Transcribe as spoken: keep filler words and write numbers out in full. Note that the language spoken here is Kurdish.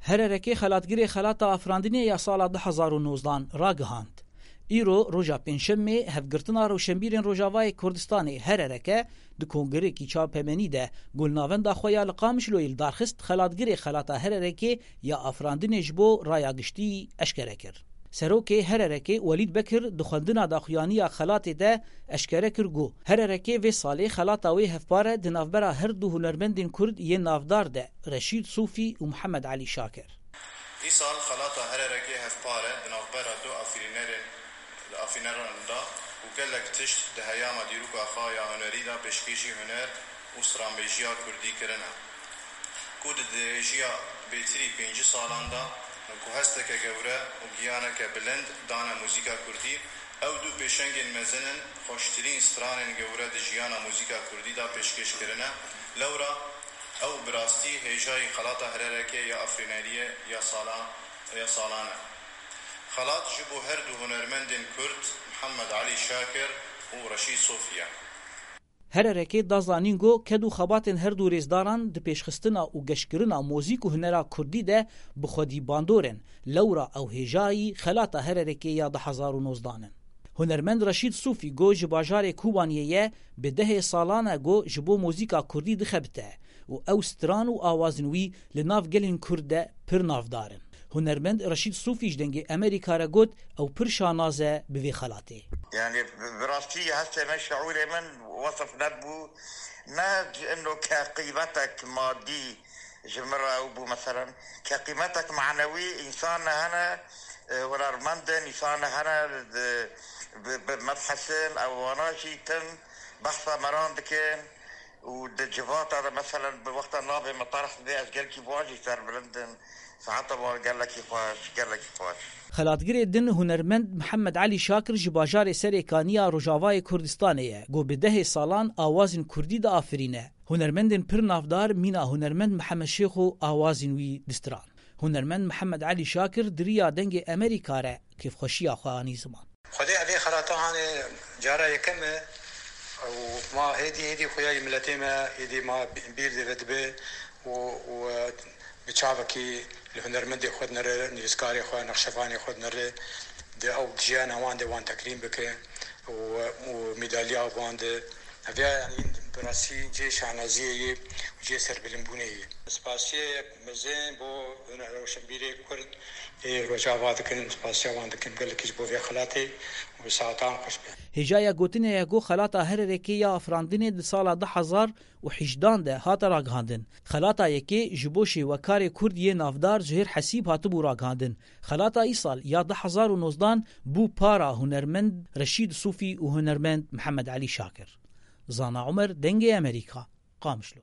Hererekê xelatgirê xelata afirandinê ya sala du hezar û nozdan ragihand. Îro roja Pêncşemê hevgirtina rewşenbîrên Rojavayê Kurdistanê Herereke di kongirekî çapemenî de golnavenda xwe ya li Qamişloyê li dar xist, xelatgirê xelata Hererekê ya afirandinê ji bo raya giştî eşkere kir. Serokê Hererekê Welîd Bekir di xwendina daxuyaniya xelatê de eşkere kir ku Hererekê vê salê xelata wê hevpar e di navbera her du hunermendên Kurd yê navdar de Reşîd Sofî û Mihemed Elî Şakir. Îsal xelata Hererekê hevpar e di navbera du afirînerên, afirîneran de û gelek tişt di heyama dîroka xwe ya hunerî de pêşkêşî huner û stranbêjiya kurdî kirine, ku di dirêjiya bêtirî pêncî salan de ku hesteke gewre û giyaneke bilind dane muzîka kurdî, ew du pêşengên mezin in, xweştirîn stranên gewre di jiyana muzîka kurdî de pêşkêş kirine. Lewra ew bi rastî hêjayî xelata Hererekê ya afirîneriyê ya sala-, ya salan e. Xelat ji bo her du hunermendên Kurd Mihemed Elî Şakir û Reşîd Sofî ye. Hererekê da zanîn ku ked û xebatên her du rêzdaran di pêşxistina û geşkirina mozîk û hunera kurdî de bi xwedî bandor in. Lewra ew hêjayî xelata Hererekê ya du hezar û nozdan in. Hunermend Reşîd Sofî ku ji bajarê Kobaniyê ye, bi dehê salan e ku ji bo mozîka kurdî dixebite û ew stran û awazên wî li nav gelên Kurd de pir navdar in. Hunermend Reşîd Sofî ji Dengê Amerîka re got, ew pir şanaz e bi vê xelatê. Yani bi, bi rastî hestê min, şiûrê min wesif nebû, ne ji ino ke qîmetek madî ji min re ew bû, meselen, ke qîmetek manewî, însan hene, e, hunermend in, însan hene, di, bi, bi mebhesin, ew wana jî tim behsa meran dikin û di civata de, meselen, bi wexta navê me tarih dibe, ez gelkî bi wan jî serbilind im, saeta wan gelekî xweş, gelekî xweş. Xelatgirê din hunermend Mihemed Elî Şakir ji bajarê Serêkanî ya Rojavayê Kurdistanê ye, ku bi dehê salan awazên kurdî diafirîne. Hunermendên pir navdar mîna hunermend Mihemed Şêxo awazên wî distiran. Hunermend Mihemed Elî Şakir di riya Dengê Amerîka re kêfxweşiya xwe anî ziman. Xwedê evê xelata hanê cara yekem e û ma hêdî hêdî xuya yê miletê me hêdî ma bîr dê ve dibe û, û, e, bi çavekî li hunermendê xwe dinere, nivîskarê xwe, nexşevanê xwe dinere, di ew jiyana wan de wan tekrîm bike û, û medalya wan de. Ev ya, yanî, bi rastî cihê şanaziyê ye û cihê serbilimbûnê ye. Spasiyê mezin bo rewşenbîrê Kurd ê Rojava dikin, spasiya wan dikin gelekî ji bo vê xelatê û saetan xweş be. Hêjaya gotinê ye ku xelata Hererekê ya afirandinê di sala du hezar û hejdan de hate ragihandin. Xelata yekê ji bo şêwekarê Kurd yê navdar Zuhêr Hesîb hatibû ragihandin. Xelata îsal ya du hezar û nozdan bû para hunermend Reşîd Sofî û hunermend Mihemed Elî Şakir. Zana Umer, Dengê Amerîka, Qamişlo.